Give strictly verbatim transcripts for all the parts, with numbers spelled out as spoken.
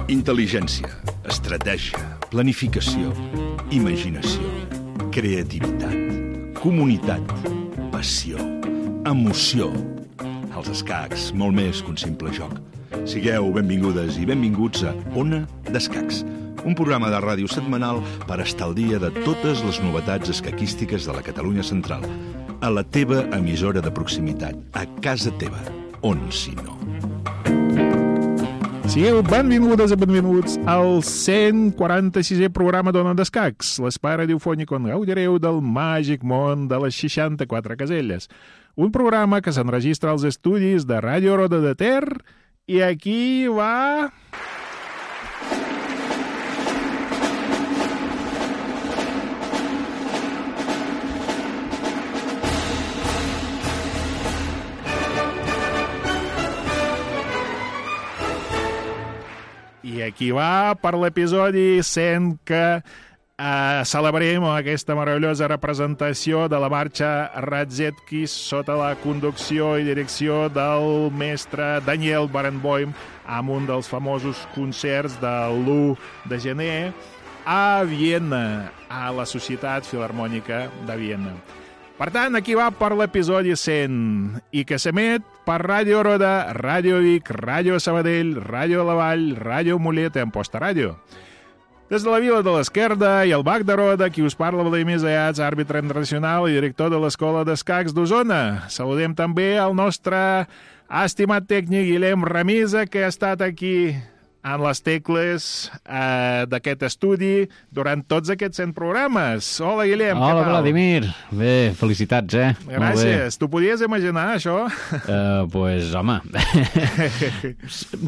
Intel·ligència, estratègia, planificació, imaginació, creativitat, comunitat, passió, emoció. Els escacs, molt més que un simple joc. Sigueu benvingudes i benvinguts a Ona d'Escacs, un programa de ràdio setmanal per estar al dia de totes les novetats escaquístiques de la Catalunya central, a la teva emissora de proximitat, a casa teva, on si no. Sigueu benvingudes i benvinguts al cent quaranta-sisè programa d'Ona d'Escacs, l'espai radiofònic on gaudireu del màgic món de les seixanta-quatre caselles. Un programa que s'enregistra als estudis de Ràdio Roda de Ter i aquí va... I aquí va per l'episodi cent que eh, celebrem aquesta meravellosa representació de la marxa Radzetki sota la conducció i direcció del mestre Daniel Barenboim amb un dels famosos concerts de l'u de gener a Viena, a la Societat Filharmònica de Viena. Per tant, aquí va per l'episodi cent i que s'emet per Ràdio Roda, Ràdio Vic, Ràdio Sabadell, Ràdio La Vall, Ràdio Mollet i Amposta Ràdio. Des de la Vila de l'Esquerda i el Bac de Roda, qui us parla Vladimir Zayats, àrbitre internacional i director de l'Escola d'Escacs d'Osona. Saludem també el nostre estimat tècnic Guillem Ramisa, que ha estat aquí en les tecles eh, d'aquest estudi durant tots aquests cent programes. Hola, Guillem, Hola, què tal? Vladimir. Bé, felicitats, eh? Gràcies. Tu podies imaginar això? Uh, pues, home,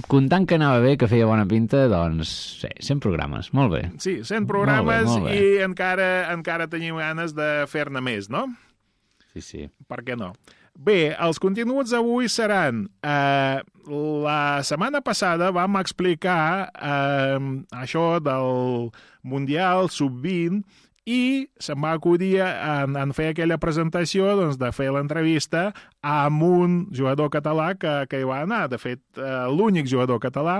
comptant que anava bé, que feia bona pinta, doncs, sí, cent programes. Molt bé. Sí, cent programes molt bé, molt bé. i encara, encara tenim ganes de fer-ne més, no? Sí, sí. Per què no? Bé, els continguts avui seran... Eh, la setmana passada vam explicar eh, això del Mundial sub vint i se'm va acudir en, en fer aquella presentació doncs, de fer l'entrevista amb un jugador català que, que hi va anar. De fet, eh, l'únic jugador català,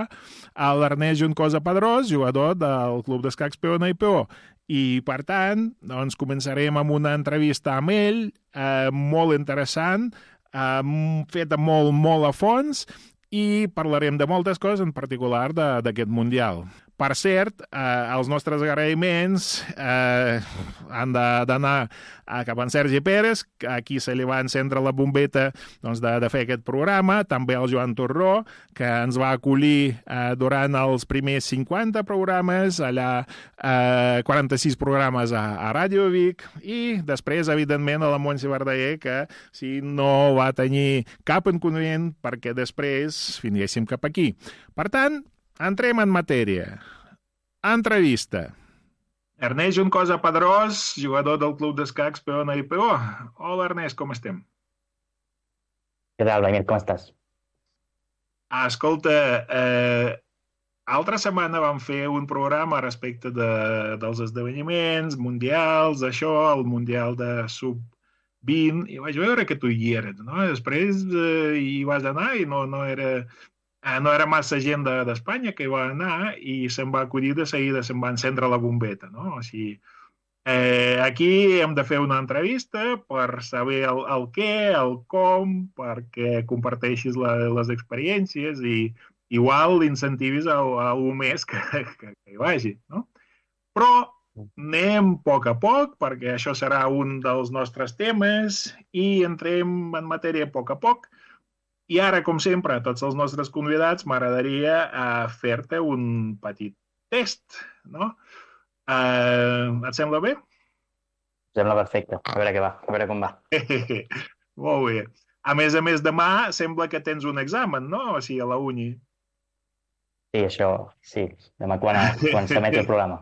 l'Ernest Juncosa Pedrós, jugador del Club d'Escacs Peona i Peó. I, per tant, doncs, començarem amb una entrevista amb ell, eh, molt interessant, eh, feta molt, molt a fons, i parlarem de moltes coses, en particular d'aquest Mundial. Per cert, eh, els nostres agraïments eh, han d'anar cap a en Sergi Pérez, a qui se li va encendre la bombeta doncs, de, de fer aquest programa, també al Joan Torró, que ens va acollir eh, durant els primers cinquanta programes, allà eh, quaranta-sis programes a, a Ràdio Vic, i després, evidentment, a la Montse Verdaguer, que si no va tenir cap inconvenient perquè després vinguéssim cap aquí. Per tant, entrem en matèria. Entrevista. Ernest Juncosa Pedrós, jugador del Club d'Escacs Peona i Peó. Hola, Ernest, com estem? Què tal, Vladimir, com estàs? Ah, escolta, eh, altra setmana vam fer un programa respecte de, dels esdeveniments mundials, això, el Mundial de sub vint, i vaig veure que tu hi eres, no? Després eh, hi vas anar i no, no era... No era massa gent d'Espanya que hi va anar i se'm va acudir de seguida, se'm va encendre la bombeta, no? O sigui, eh, aquí hem de fer una entrevista per saber el, el què, el com, perquè comparteixis la, les experiències i igual incentivis a, a algú més que, que, que hi vagi, no? Però anem a poc a poc, perquè això serà un dels nostres temes i entrem en matèria a poc a poc. I ara, com sempre, a tots els nostres convidats m'agradaria uh, fer-te un petit test, no? Uh, et sembla bé? Sembla perfecte. A veure què va, a veure com va. Molt bé. A més a més, demà sembla que tens un examen, no? O sigui, a la uni. Sí, això, sí. Demà quan, quan s'emet el programa.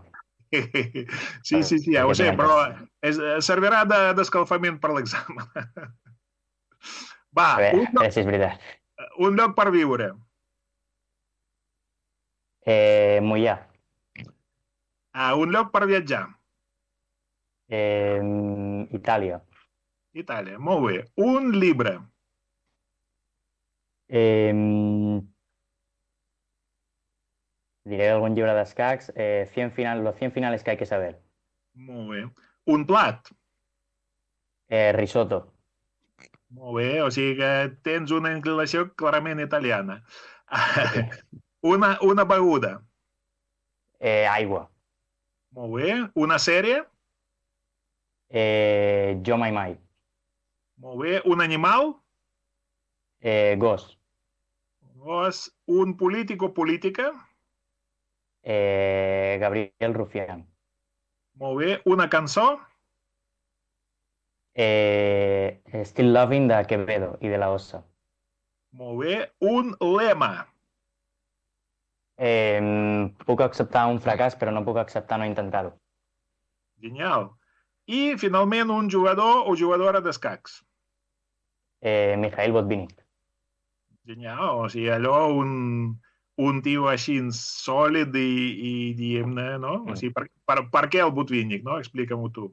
Sí, sí, sí, ja ho sé, però és, servirà d'escalfament per l'examen. Va, a veure, un, lloc, a veure si és veritat. Un lloc per viure. Eh, Moià. Ah, un lloc per viatjar. Eh, Itàlia. Itàlia, molt bé. Un llibre. Eh, diré algun llibre d'escacs, eh, cien final, los cien finales que hay que saber. Molt bé. Un plat. Eh, risotto. Molt bé, o sigui que tens una inclinació clarament italiana. Una, una beguda. Eh, aigua. Molt bé. Una sèrie. Eh, jo mai mai. Molt bé. Un animal. Eh, gos. Gos. Un polític o política. Eh, Gabriel Rufián. Molt bé. Una cançó. Eh, Still Loving de Quevedo i de la Ossa. Molt bé. Un lema. Eh, puc acceptar un fracàs, però no puc acceptar no intentar-ho. Genial. I, finalment, un jugador o jugadora d'escacs. Eh, Mikhail Botvinnik. Genial. O sigui, allò, un, un tio així sòlid i, i diguem-ne, no? O sigui, per, per, per què el Botvinnik, no? Explica-m'ho tu.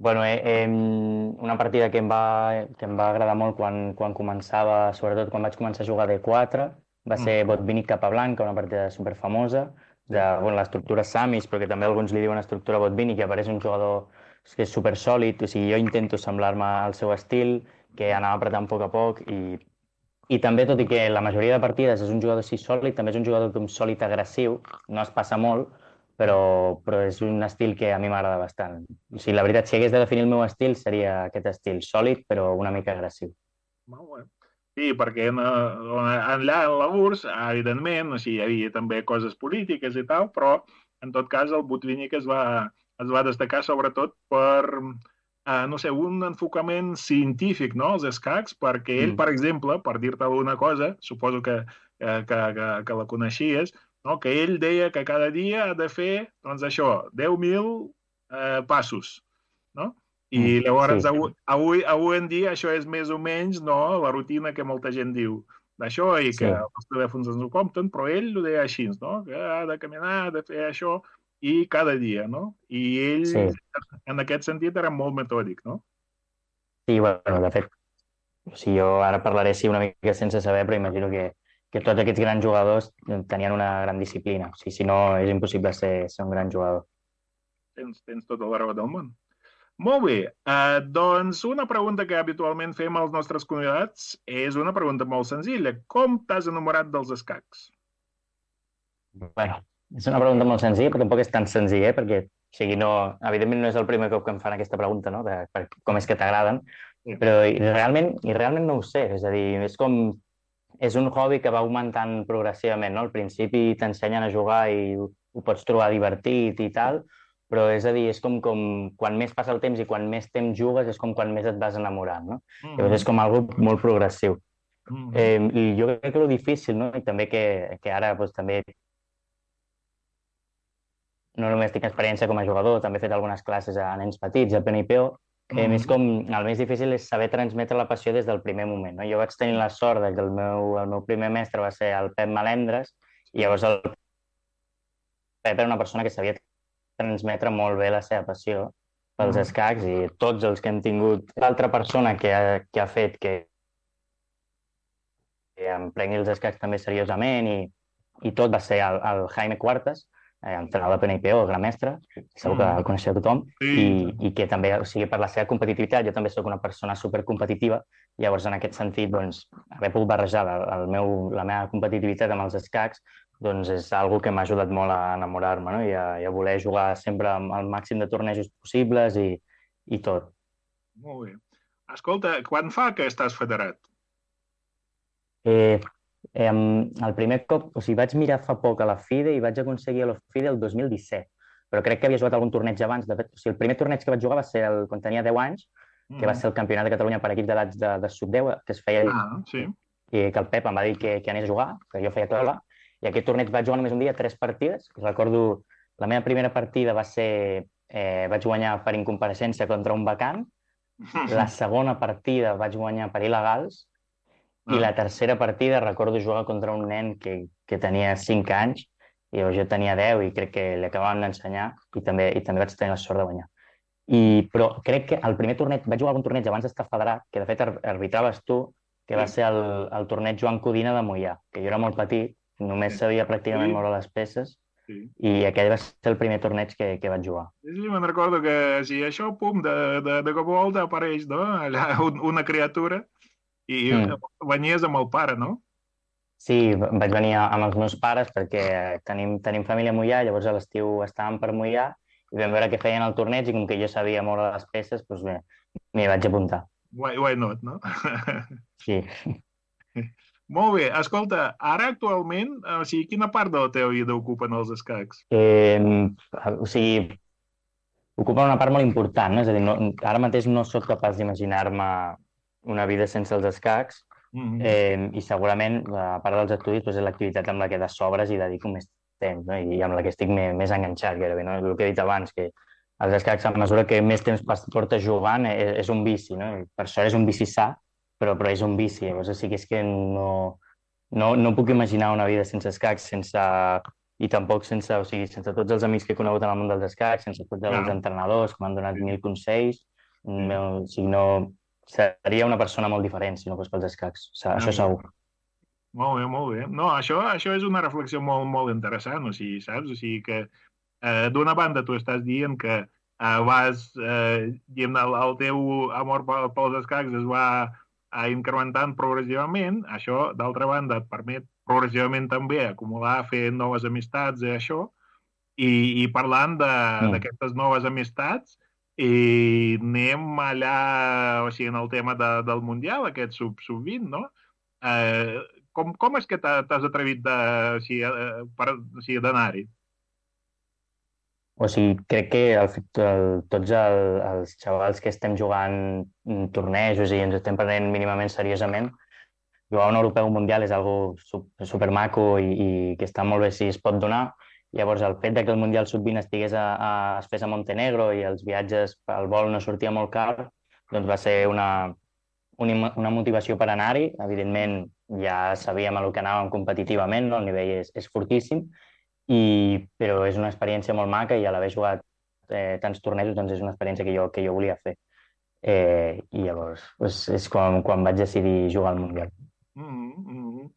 Bueno, eh, eh, una partida que em va, que em va agradar molt quan, quan començava, sobretot quan vaig començar a jugar de quatre, va ser Botvinnik Capablanca, una partida superfamosa, de bueno, l'estructura Samis, però que també alguns li diuen estructura Botvinnik, que apareix un jugador que és supersòlid, o sigui, jo intento semblar-me al seu estil, que anava apretant a poc a poc, i, i també, tot i que la majoria de partides és un jugador així sòlid, també és un jugador com sòlid agressiu, no es passa molt, però, però és un estil que a mi m'agrada bastant. O sigui, la veritat, si hagués de definir el meu estil, seria aquest estil, sòlid, però una mica agressiu. Molt bé. Sí, perquè en, allà en la U R S S, evidentment, o sigui, hi havia també coses polítiques i tal, però en tot cas el Botvinnik es va, es va destacar sobretot per, eh, no sé, un enfocament científic, no?, als escacs, perquè ell, mm. per exemple, per dir-te alguna cosa, suposo que, que, que, que la coneixies, no?, que ell deia que cada dia ha de fer, doncs això, deu mil eh, passos, no? I llavors, sí. avui, avui, avui en dia, això és més o menys, no?, la rutina que molta gent diu d'això i que sí. els telèfons ens ho compten, però ell ho deia així, no?, que ha de caminar, ha de fer això, i cada dia, no? I ell, sí. en aquest sentit, era molt metòdic, no? Sí, bueno, de fet, o sigui, jo ara parlaré sí una mica sense saber, però imagino que que tots aquests grans jugadors tenien una gran disciplina. O sigui, si no, és impossible ser, ser un gran jugador. Tens, tens tota la raó del món. Molt bé. Uh, doncs una pregunta que habitualment fem als nostres convidats és una pregunta molt senzilla. Com t'has enamorat dels escacs? Bueno, és una pregunta molt senzilla, però tampoc és tan senzilla, eh? Perquè, o sigui, no, evidentment no és el primer cop que em fan aquesta pregunta, no?, de per, com és que t'agraden, sí. però i realment, i realment no ho sé. És a dir, és com... És un hobby que va augmentant progressivament, no? Al principi t'ensenyen a jugar i ho, ho pots trobar divertit i tal, però és a dir, és com, com quan més passa el temps i quan més temps jugues és com quan més et vas enamorant, no? Mm-hmm. Llavors és com algo molt progressiu. Mm-hmm. eh, I jo crec que el difícil, no? I també que, que ara doncs, també no només tinc experiència com a jugador, també he fet algunes classes a nens petits, a P N I P O, Eh, mm. és com, el més difícil és saber transmetre la passió des del primer moment, no? Jo vaig tenir la sort de que el meu, el meu primer mestre va ser el Pep Malendres, i llavors el Pep era una persona que sabia transmetre molt bé la seva passió pels mm. escacs, i tots els que hem tingut l'altra persona que ha, que ha fet que, que em prengui els escacs també seriosament, i, i tot va ser el, el Jaime Cuartas, Eh, entrenador de P N I P O, gran mestre, segur que el coneixeu tothom, sí. i, i que també, o sigui, per la seva competitivitat, jo també sóc una persona supercompetitiva, llavors en aquest sentit, doncs, haver pogut barrejar el, el meu, la meva competitivitat amb els escacs, doncs és algo que m'ha ajudat molt a enamorar-me, no?, i a, i a voler jugar sempre amb el màxim de tornejos possibles i, i tot. Molt bé. Escolta, quan fa que estàs federat? Eh... Eh, el primer cop, o sigui, vaig mirar fa poc a la FIDE i vaig aconseguir a la FIDE el dos mil disset, però crec que havia jugat algun torneig abans. De fet, o sigui, el primer torneig que vaig jugar va ser el, quan tenia deu anys, mm. que va ser el Campionat de Catalunya per equips d'edats de, de sub deu, que es feia... Ah, sí. I que el Pep em va dir que, que anés a jugar, que jo feia taula, i aquest torneig vaig jugar només un dia, tres partides. Recordo, la meva primera partida va ser... Eh, vaig guanyar per incompareixença contra un vacant, la segona partida vaig guanyar per il·legals, i la tercera partida recordo jugar contra un nen que, que tenia cinc anys, i jo tenia deu i crec que li acabaven d'ensenyar, i també, i també vaig tenir la sort de guanyar. I, però crec que el primer torneig, vaig jugar algun torneig abans d'estar federat, que de fet arbitraves tu, que va ser el, el torneig Joan Codina de Moià, que jo era molt petit, només sabia pràcticament moure les peces, sí. I aquell va ser el primer torneig que, que vaig jugar. Sí, sí, me'n recordo que sí, això, pum, de, de, de cop i volta apareix, no? Allà un, una criatura i Mm. venies amb el pare, no? Sí, v- vaig venir a- amb els meus pares perquè tenim, tenim família a Moià, llavors a l'estiu estàvem per Moià i vam veure què feien al torneig i com que jo sabia moure les peces, doncs bé, m'hi vaig apuntar. Why, why not, no? Sí. Molt bé, escolta, ara actualment, o sigui, quina part de la teva vida ocupen els escacs? Eh, o sigui, ocupa una part molt important, no? És a dir, no, ara mateix no sóc capaç d'imaginar-me una vida sense els escacs Mm eh, i segurament, a part dels estudis, doncs és l'activitat amb la que de sobres i dedico més temps, no? I amb la que estic més, més enganxat, gairebé, no? El que he dit abans, que els escacs, a mesura que més temps pas- portes jugant, és, és un vici, no? I per sort és un vici sa, però, però és un vici. Llavors, o sigui, és que no, no, no puc imaginar una vida sense escacs, sense i tampoc sense, o sigui, sense tots els amics que he conegut en el món dels escacs, sense tots els Clar, entrenadors que m'han donat sí, mil consells, sí. no, o sigui, no, seria una persona molt diferent si no fos pels escacs, o sigui, Ah, això segur. molt bé, molt bé. No, això, això és una reflexió molt, molt interessant, o sigui, saps? O sigui que eh, d'una banda tu estàs dient que eh, vas, eh, diguem, el, el teu amor pel- pels escacs es va eh, incrementant progressivament, això, d'altra banda, et permet progressivament també acumular, fer noves amistats i això, i, i parlant de- Mm. d'aquestes noves amistats, i anem allà, o sigui, en el tema de, del Mundial, aquest sub, sub vint, no? Eh, com, com és que t'ha- t'has atrevit de, o sigui, eh, per, o sigui, d'anar-hi? O sigui, crec que el, el, tots el, els xavals que estem jugant mm, tornejos i ens estem prenent mínimament seriosament, jugar un europeu un mundial és algo super, super maco i, i que està molt bé si es pot donar. Llavors, el fet de que el Mundial sub vint estigués a, a, es fes a Montenegro i els viatges, el vol no sortia molt car, doncs va ser una, una, una motivació per anar-hi. Evidentment, ja sabíem a lo que anàvem competitivament, no? El nivell és, és fortíssim, i, però és una experiència molt maca i a l'haver jugat eh, tants tornejos doncs és una experiència que jo, que jo volia fer. Eh, I llavors doncs és quan, quan vaig decidir jugar al Mundial. Mm -hmm.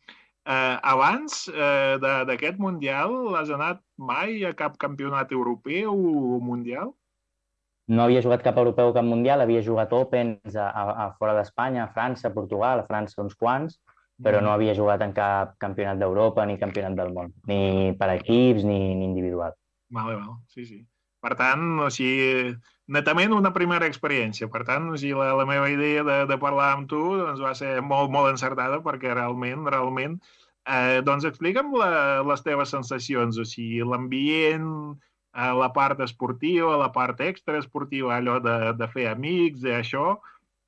eh, abans eh, de- d'aquest Mundial, has anat mai a cap campionat europeu o mundial? No havia jugat cap europeu o cap mundial, havia jugat Opens a, a, a fora d'Espanya, a França, a Portugal, a França uns quants, però Mm. no havia jugat en cap campionat d'Europa ni campionat del món, ni per equips ni, ni individual. Vale, vale, sí, sí. Per tant, o sigui, netament una primera experiència. Per tant, o sigui, la, la meva idea de, de parlar amb tu doncs, va ser molt, molt encertada perquè realment, realment, eh, doncs explica'm la, les teves sensacions, o sigui, l'ambient, eh, la part esportiva, la part extraesportiva, allò de, de fer amics i això.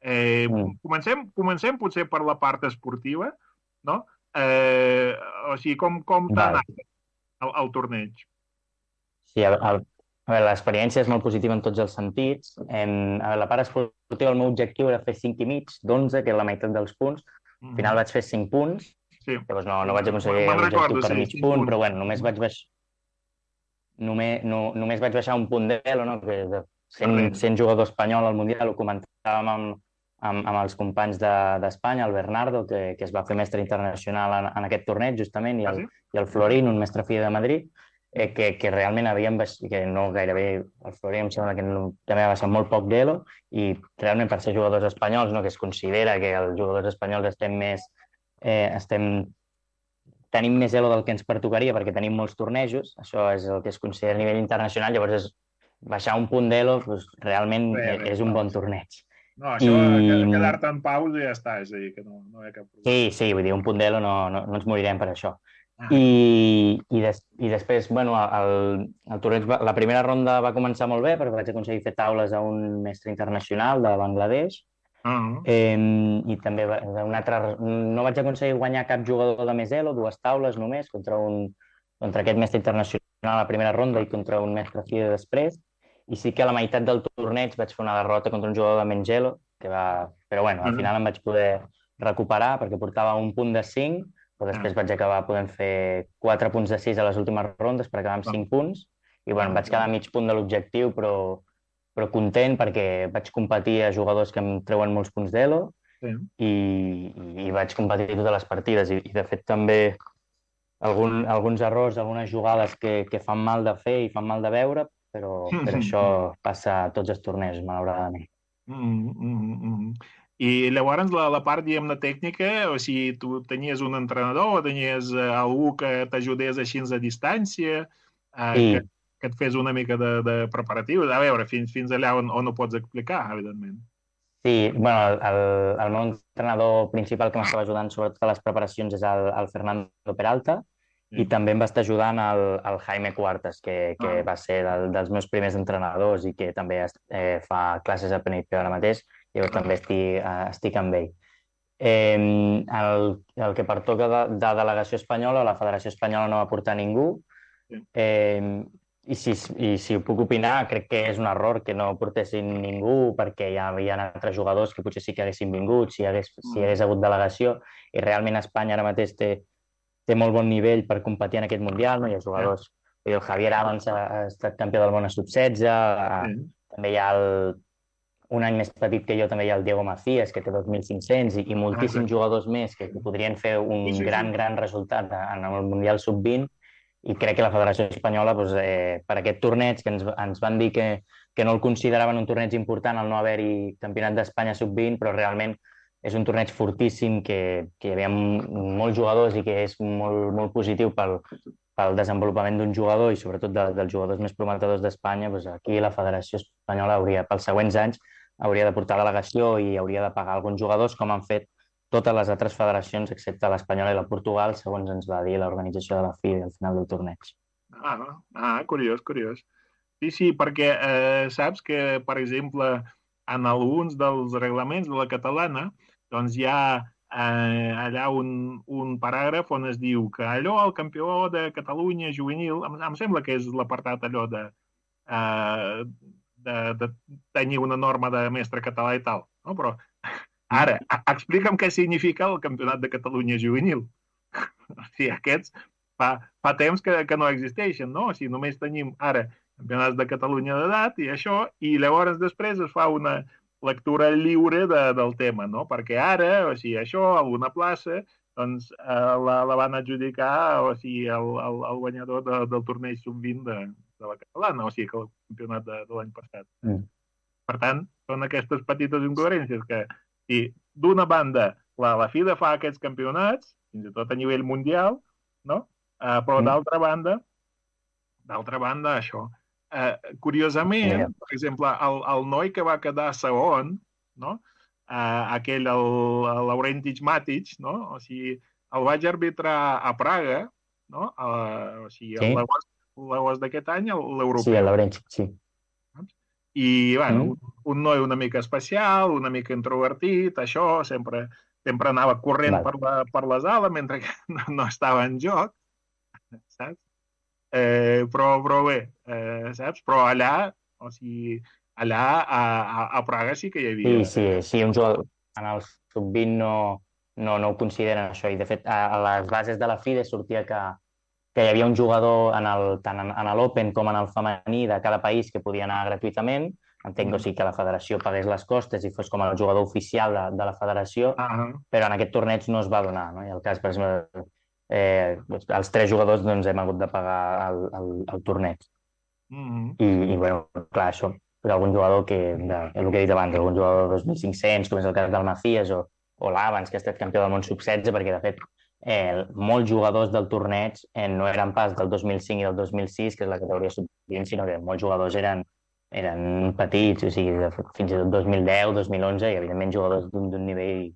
Eh, Mm, comencem, comencem potser per la part esportiva, no? Eh, o sigui, com, com t'ha val. anat el, el torneig? Sí, a, a, a veure, l'experiència és molt positiva en tots els sentits. En, a veure, la part esportiva, el meu objectiu era fer cinc i mig d'onze, que és la meitat dels punts. Al final vaig fer cinc punts, Sí, llavors no, no vaig aconseguir me'n l'objectiu recordo, per sí, mig cinc punt, punts. però bueno, només vaig baix, només, no, només vaig baixar un punt d'elo, no? Que de sent, Darrere. sent jugador espanyol al Mundial ho comentàvem amb, amb, amb els companys d'Espanya, de, el Bernardo, que, que es va fer mestre internacional en, en aquest torneig, justament, i Ah, el, sí? i el Florín, un mestre fi de Madrid, eh, que, que realment havien baixat, que no gairebé, el Florín em sembla que no, també ha baixat molt poc d'elo, i realment per ser jugadors espanyols, no, que es considera que els jugadors espanyols estem més, eh, estem tenim més elo del que ens pertocaria perquè tenim molts tornejos, això és el que es considera a nivell internacional, llavors és, baixar un punt d'elo doncs, realment Bé, eh, bé, és un va, bon sí. torneig. No, això, I que- quedar-te en pausa i ja està, és a dir, que no, no hi ha cap problema. sí, sí, vull dir, un punt d'elo no, no, no ens morirem per això. Ah, I, i, des, i després, bueno, el, el torneig, va, la primera ronda va començar molt bé perquè vaig aconseguir fer taules a un mestre internacional de Bangladesh. ah, Eh, I també va- un altre, no vaig aconseguir guanyar cap jugador de més elo, dues taules només, contra, un, contra aquest mestre internacional a la primera ronda i contra un mestre FIDE després. I sí que a la meitat del torneig vaig fer una derrota contra un jugador de menys elo, que va... però bueno, al Mhm. final em vaig poder recuperar perquè portava un punt de cinc, però després Ah. vaig acabar podent fer quatre punts de sis a les últimes rondes per acabar amb Ah. cinc punts. I bueno, em Ah, vaig quedar a mig punt de l'objectiu, però però content perquè vaig competir a jugadors que em treuen molts punts d'elo sí. i, i vaig competir totes les partides i, i de fet també algun, alguns errors, algunes jugades que, que fan mal de fer i fan mal de veure, però, però això passa a tots els torneigs, malauradament. Mm, mm, mm. I llavors la, la part, diguem-ne, tècnica, o sigui, tu tenies un entrenador o tenies eh, algú que t'ajudés així a distància, eh, Sí, que, que et fes una mica de, de preparatiu? A veure, fins, fins allà on, on ho pots explicar, evidentment. sí, bueno, el, el meu entrenador principal que m'estava ajudant sobretot a les preparacions és el, el Fernando Peralta, Sí. i també em va estar ajudant el, el Jaime Cuartas, que, que Ah. va ser del, dels meus primers entrenadors i que també eh, fa classes a Penipio ara mateix, i jo també estic, eh, estic amb ell. Eh, el, el que pertoca de, de delegació espanyola, la Federació Espanyola no va portar ningú, Sí. eh, i, si, i si ho puc opinar, crec que és un error que no portessin ningú, perquè hi havia altres jugadors que potser sí que haguessin vingut, si hi hagués, si hi hagués hagut delegació, i realment Espanya ara mateix té, té molt bon nivell per competir en aquest Mundial, no? Hi ha jugadors... Sí. El Javier Abans ha, ha estat campió del món a sub setze, Sí. també hi ha el, un any més petit que jo, també hi ha el Diego Macías, que té dos mil cinc-cents, i, i moltíssims Ah, sí. jugadors més que, que podrien fer un Sí, sí, sí. gran, gran resultat en el Mundial sub vint, i crec que la Federació Espanyola, doncs, eh, per aquest torneig, que ens, ens van dir que, que no el consideraven un torneig important al no haver-hi campionat d'Espanya sub vint, però realment és un torneig fortíssim, que, que hi havia molts jugadors i que és molt, molt positiu pel, pel desenvolupament d'un jugador i sobretot de, dels jugadors més prometedors d'Espanya. Doncs aquí la Federació Espanyola hauria, pels següents anys, hauria de portar delegació i hauria de pagar alguns jugadors, com han fet totes les altres federacions, excepte l'espanyola i la Portugal, segons ens va dir l'organització de la F I B al final del torneig. Ah, ah, curiós, curiós. Sí, sí, perquè eh, saps que, per exemple, en alguns dels reglaments de la catalana, doncs hi ha eh, allà un, un paràgraf on es diu que allò, el campió de Catalunya juvenil, em, em sembla que és l'apartat allò de, eh, de, de tenir una norma de mestre català i tal, no? Però ara, explica'm què significa el campionat de Catalunya juvenil. O sigui, aquests fa, fa temps que, que no existeixen, no? O sigui, només tenim ara campionats de Catalunya d'edat i això, i llavors després es fa una lectura lliure de, del tema, no? Perquè ara, o sigui, això, alguna plaça, doncs eh, la, la van adjudicar, o sigui, el, el, el guanyador de, del torneig sub vint de, de la catalana, o sigui, que el campionat de, de l'any passat. Mm. Per tant, són aquestes petites incoherències que, i d'una banda, la, la F I D A fa aquests campionats, fins i tot a nivell mundial, no? Uh, però mm. d'altra banda, d'altra banda, això. Uh, curiosament, yeah. per exemple, el, el noi que va quedar segon, no? Uh, aquell, el, el Laurentić Matic, no? O sigui, el vaig arbitrar a Praga, no? Uh, o sigui, sí. l'agost d'aquest any, l'europeu. Sí, el Laurentić, sí. I, bueno, mm. un, un noi una mica especial, una mica introvertit, això, sempre, sempre anava corrent per, la, per les ales mentre que no, no estava en joc, saps? Eh, però, però bé, eh, saps? Però allà, o sigui, allà a, a, a Praga sí que hi havia... Sí, sí, sí, un jugador en el sub vint no, no, no ho consideren això, i de fet a, a les bases de la F I D E sortia que que hi havia un jugador en el, tant en, en l'Open com en el femení de cada país que podia anar gratuïtament. Entenc mm. o sigui, que la federació pagués les costes i fos com el jugador oficial de, de la federació, uh -huh. però en aquest torneig no es va donar. No? I el cas, per exemple, eh, els tres jugadors doncs, hem hagut de pagar el, el, el torneig. Mm -hmm. I, i bueno, clar, això, per algun jugador que, de, el que he dit abans, algun jugador de dos mil cinc-cents, com és el cas del Macías, o, o l'Avans, que ha estat campió del món sub setze, perquè de fet Eh, molts jugadors del torneig eh, no eren pas del dos mil cinc i del dos mil sis, que és la categoria sub vint, sinó que molts jugadors eren, eren petits, o sigui, de, fins i tot dos mil deu, dos mil onze, i evidentment jugadors d'un nivell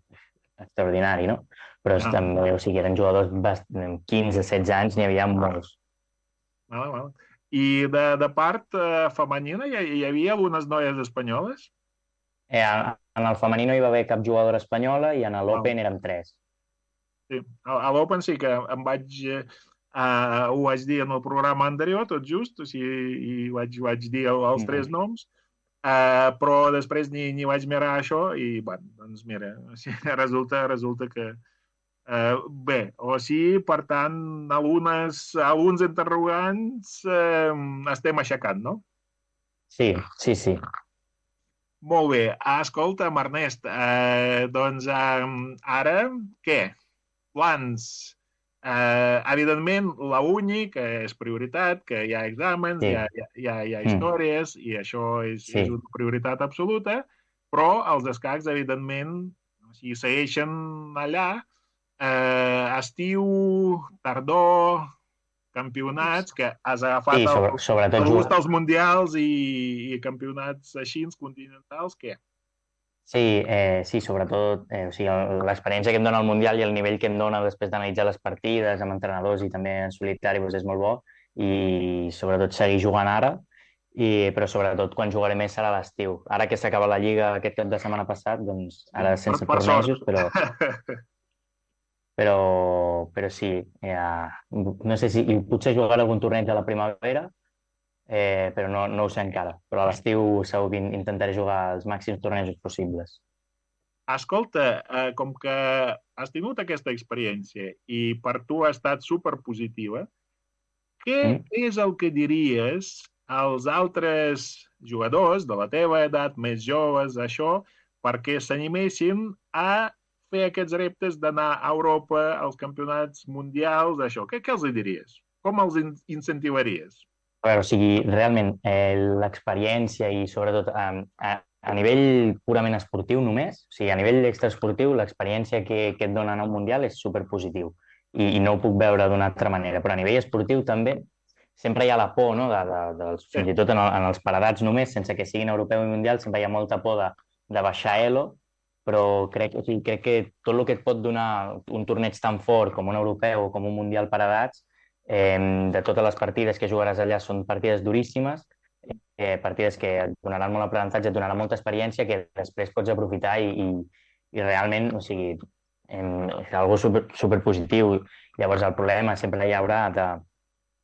extraordinari, no? Però ah. també, o sigui, eren jugadors amb quinze, setze anys, n'hi havia molts. Val, val. I de, de part eh, femenina hi, hi havia algunes noies espanyoles? Eh, en el femení no hi va haver cap jugadora espanyola i en l'Open ah. érem tres. Sí, a l'Open sí que em vaig, uh, ho vaig dir en el programa anterior, tot just, o sigui, i vaig, vaig dir el, els mm. tres noms, uh, però després ni, ni vaig mirar això i, bueno, doncs mira, o sigui, resulta, resulta que, uh, bé, o sigui, per tant, algunes, alguns interrogants uh, estem aixecant, no? Sí, sí, sí. Molt bé, escolta, Ernest, uh, doncs uh, ara, què? Plans Eh, evidentment, la uni, que és prioritat, que hi ha exàmens, Sí. hi ha, hi ha, hi ha, hi ha Mm. històries, i això és, Sí. és una prioritat absoluta, però els escacs, evidentment, o sigui, segueixen allà, eh, estiu, tardor, campionats, que has agafat Sí, sobre, el, sobretot el juga- gust als mundials i, i campionats així continentals, què? Sí, eh, sí, sobretot eh, o sigui, el- l'experiència que em dona el Mundial i el nivell que em dona després d'analitzar les partides amb entrenadors i també en solitari doncs és molt bo i sobretot seguir jugant ara, i, però sobretot quan jugaré més serà a l'estiu. Ara que s'acaba la Lliga aquest cap de setmana passat, doncs ara sense per, per tornejos, sort. però, però, però sí, eh, no sé si i potser jugaré algun torneig a la primavera, eh, però no, no ho sé encara. Però a l'estiu segur que in- intentaré jugar els màxims tornejos possibles. Escolta, eh, com que has tingut aquesta experiència i per tu ha estat superpositiva, què Mm. és el que diries als altres jugadors de la teva edat, més joves, això, perquè s'animessin a fer aquests reptes d'anar a Europa, als campionats mundials, això? Què, què els diries? Com els in incentivaries? A veure, o sigui, realment, eh, l'experiència i sobretot eh, a, a nivell purament esportiu només, o sigui, a nivell extraesportiu, l'experiència que, que et dona anar a un Mundial és superpositiu i, i no ho puc veure d'una altra manera, però a nivell esportiu també sempre hi ha la por, no? de, de, dels, Sí. fins i tot en, el, en els paredats només, sense que siguin europeu i mundial, sempre hi ha molta por de, de baixar elo, però crec, o sigui, crec que tot el que et pot donar un torneig tan fort com un europeu o com un mundial paredats, eh, de totes les partides que jugaràs allà són partides duríssimes, eh, partides que et donaran molt aprenentatge, et donaran molta experiència que després pots aprofitar i, i, i realment, o sigui, eh, és algo super, super positiu. Llavors el problema sempre hi haurà de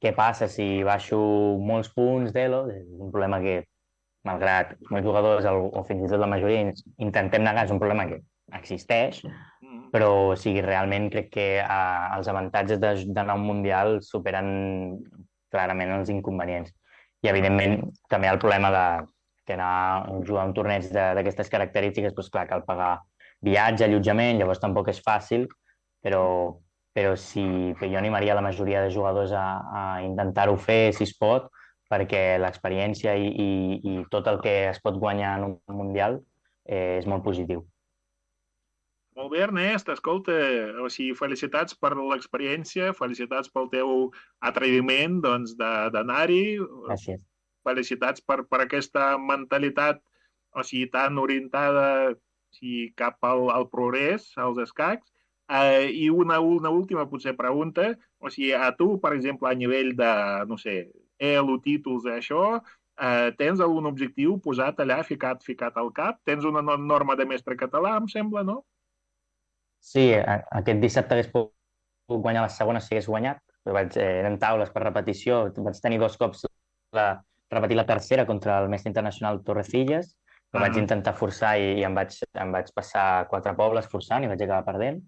què passa si baixo molts punts d'Elo, és un problema que, malgrat molts jugadors o, o fins i tot la majoria intentem negar, és un problema que existeix, Mm. però o sigui, realment crec que eh, els avantatges de- d'anar a un Mundial superen clarament els inconvenients. I, evidentment, també el problema de que anar a jugar a un torneig de- d'aquestes característiques, doncs clar, cal pagar viatge, allotjament, llavors tampoc és fàcil, però, però sí que jo animaria la majoria de jugadors a, a intentar-ho fer, si es pot, perquè l'experiència i, i, i tot el que es pot guanyar en un Mundial eh, és molt positiu. Molt bé, Ernest, escolta, o sigui, felicitats per l'experiència, felicitats pel teu atreviment, doncs, de- d'anar-hi, Gràcies. felicitats per, per aquesta mentalitat, o sigui, tan orientada o sigui, cap al, al progrés, als escacs. Eh, I una, una última, potser, pregunta, o sigui, a tu, per exemple, a nivell de, no sé, elo, títols, això, eh, tens algun objectiu posat allà, ficat, ficat al cap? Tens una no- norma de mestre català, em sembla, no? Sí, a- aquest dissabte hagués pogut guanyar la segona si hagués guanyat. Vaig, eh, eren taules per repetició. Vaig tenir dos cops la, repetir la tercera contra el mestre internacional Torrecillas, però Ah. vaig intentar forçar i, i em, vaig, em vaig passar quatre pobles forçant i vaig acabar perdent.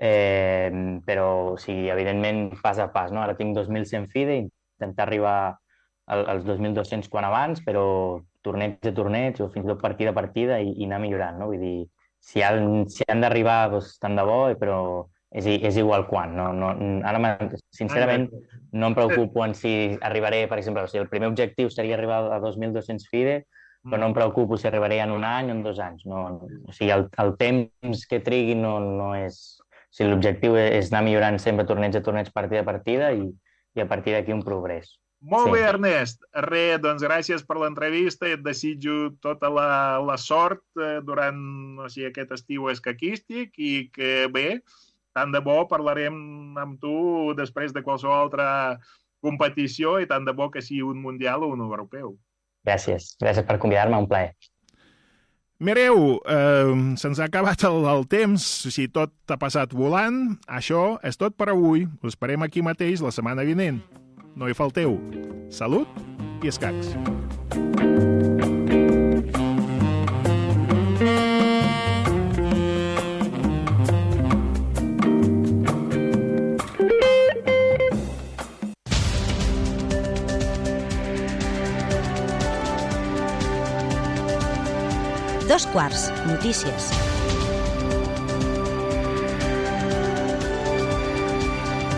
Eh, però, o sigui, evidentment, pas a pas, no? Ara tinc dos mil cent FIDE, intentar arribar al, als dos mil dos-cents quan abans, però torneig a torneig o fins i tot partida a partida i, i anar millorant, no? Vull dir, si han, si han d'arribar, doncs, tant de bo, però és, i- és igual quan. No, no, ara, me- sincerament, no em preocupo en si arribaré, per exemple, o sigui, el primer objectiu seria arribar a dos mil dos-cents FIDE, però no em preocupo si arribaré en un any o en dos anys. No, o sigui, el, el temps que trigui no, no és... O sigui, l'objectiu és anar millorant sempre torneig a torneig, partida a partida i, i a partir d'aquí un progrés. Molt Sí. bé, Ernest. Re, doncs gràcies per l'entrevista i et desitjo tota la, la sort eh, durant o sigui, aquest estiu escaquístic i que bé, tant de bo parlarem amb tu després de qualsevol altra competició i tant de bo que sigui un mundial o un europeu. Gràcies. Gràcies per convidar-me, un plaer. Mireu, eh, se'ns ha acabat el, el temps, o sigui, tot ha passat volant. Això és tot per avui. Us esperem aquí mateix la setmana vinent. No hi falteu. Salut i escacs. Dos quarts, notícies.